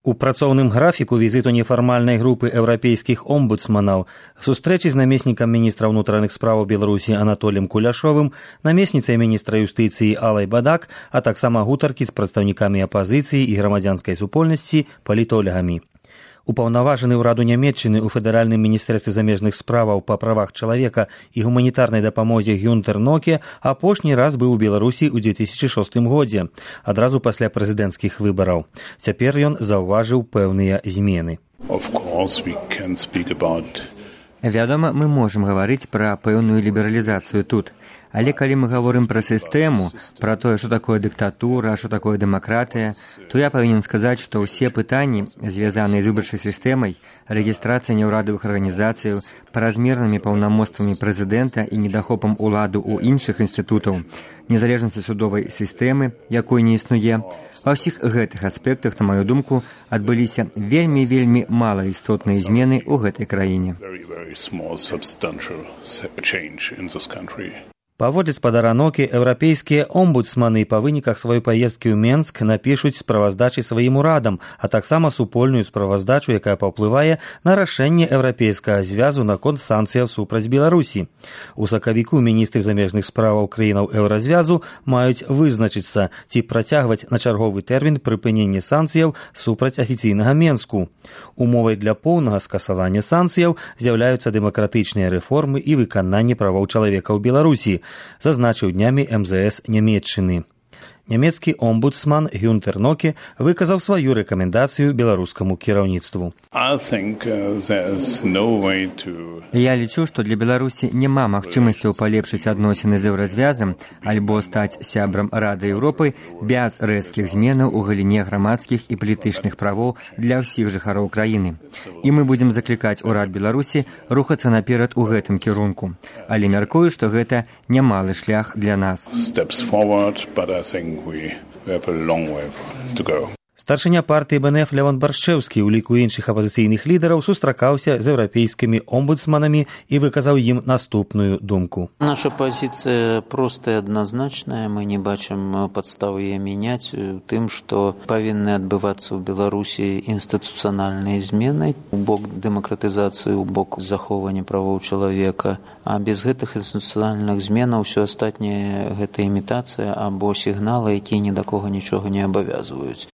У працоўным графіку візіту нефармальнай групы еўрапейскіх омбудсманаў, сустрэчы з намеснікам міністра ўнутраных справаў Беларусі Анатоліем Куляшовым, намесніцай міністра юстыцыі Алай Бадак, а таксама гутаркі з прадстаўнікамі апазіцыі і грамадзянскай супольнасці, палітолягамі. Упаўнаважаны ўраду Нямецчыны ў федэральным міністэрстве замежных справаў па правах чалавека і гуманітарнай дапамозе Гюнтер Ноке апошні раз быў у Беларусі ў 2006 годзе, адразу пасля прэзідэнцкіх выбараў. Цяпер ён заўважыў пэўныя змены. Вядома, мы можам гаварыць пра пэўную лібералізацыю тут. Але калі мы гаворым пра сістэму, пра тое, што такое дыктатура, што такое дэмакратыя, то я павінен сказаць, што ўсе пытанні, звязаныя з выбарчай сістэмай, рэгістрацыяй няўрадавых арганізацыяў, празмернымі паўнамоцтвамі прэзідэнта і недахопам уладу ў іншых інстытутаў, незалежнасці судовай сістэмы, якой не існуе, ва ўсіх гэтых аспектах, на маю думку, адбыліся вельмі мала істотныя змены ў гэтай краіне. Паводле спадара Нокі, еўрапейскія омбудсманы па выніках сваёй паездкі ў Менск напішуць справаздачы сваім урадам, а таксама супольную справаздачу, якая паўплывае на рашэнне еўрапейскага звязу наконт санкцыяў супраць Беларусі. У сакавіку міністры замежных справаў краінаў еўразвязу маюць вызначыцца, ці працягваць на чарговы тэрмін прыпыненне санкцыяў супраць афіцыйнага Менску. Умовай для поўнага скасавання санкцыяў з'яўляюцца дэмакратычныя рэформы і выкананне правоў чалавека ў Беларусі, зазначыў днямі МЗС Нямецчыны. Нямецкі омбудсман Гюнтер Ноке выказаў сваю рэкамендацыю беларускаму кіраўніцтву. Я лічу, што для Беларусі няма магчымасцяў палепшыць адносіны з еўразвязам альбо стаць сябрам Рады Еўропы без рэзкіх зменаў у галіне грамадскіх і палітычных правоў для ўсіх жыхароў краіны. І мы будзем заклікаць урад Беларусі рухацца наперад у гэтым кірунку. Але мяркую, што гэта немалы шлях для нас. Старшыня партыі БНФ Лявон Баршчэўскі ў ліку іншых апазіцыйных лідараў сустракаўся з еўрапейскімі омбудсманамі і выказаў ім наступную думку. Наша пазіцыя простая, адназначная. Мы не бачым падставы яе мяняць у тым, што павінны адбывацца ў Беларусі інстытуцыянальныя змены у бок дэмакратызацыі, у бок захоўвання правоў чалавека. А без гэтых інстытуцыянальных зменаў усё астатняе гэта імітацыя або сігналы, якія ні да кога нічога не абавязваюць.